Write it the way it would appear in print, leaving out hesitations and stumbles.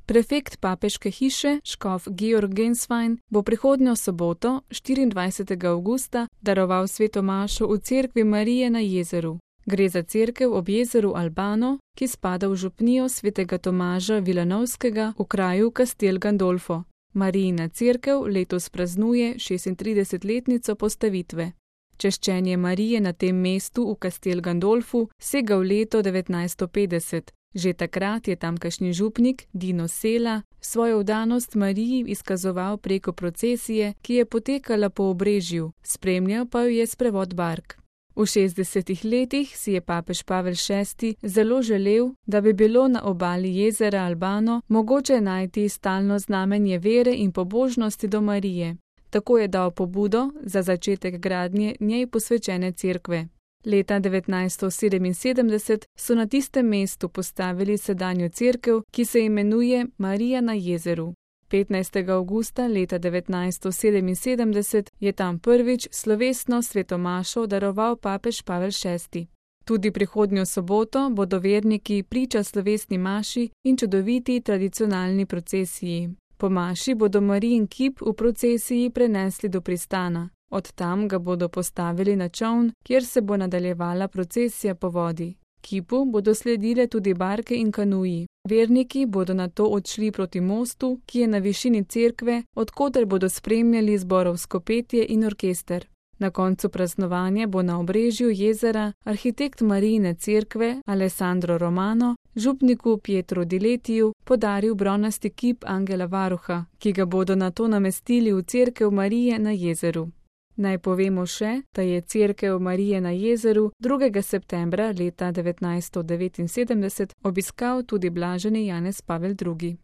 Prefekt papeške hiše, škof Georg Genswein, bo prihodnjo soboto, 24. avgusta, daroval sveto mašo v cerkvi Marije na jezeru. Gre za cerkev ob jezeru Albano, ki spada v župnijo svetega Tomaža Vilanovskega v kraju Castel Gandolfo. Marijina cerkev letos praznuje 36-letnico postavitve. Češčenje Marije na tem mestu v Castel Gandolfu sega v leto 1950. Že takrat je tamkajšnji župnik Dino Sela svojo vdanost Mariji izkazoval preko procesije, ki je potekala po obrežju, spremljal pa jo je sprevod bark. V 60. letih si je papež Pavel VI zelo želel, da bi bilo na obali jezera Albano mogoče najti stalno znamenje vere in pobožnosti do Marije. Tako je dal pobudo za začetek gradnje njej posvečene cerkve. Leta 1977 so na tistem mestu postavili sedanjo cerkev, ki se imenuje Marija na jezeru. 15. avgusta leta 1977 je tam prvič slovesno sveto mašo daroval papež Pavel VI. Tudi prihodnjo soboto bodo verniki priča slovesni maši in čudoviti tradicionalni procesiji. Po maši bodo Marijin kip v procesiji prenesli do pristana. Od tam ga bodo postavili na čoln, kjer se bo nadaljevala procesija po vodi. Kipu bodo sledile tudi barke in kanuji. Verniki bodo nato odšli proti mostu, ki je na višini cerkve, odkoder bodo spremljali zborovsko petje in orkester. Na koncu praznovanja bo na obrežju jezera arhitekt Marijine cerkve Alessandro Romano župniku Pietro Diletiju podaril bronasti kip Angela Varuha, ki ga bodo nato namestili v cerkev Marije na jezeru. Naj povemo še, da je cerkev Marije na jezeru 2. septembra leta 1979 obiskal tudi blaženi Janez Pavel II.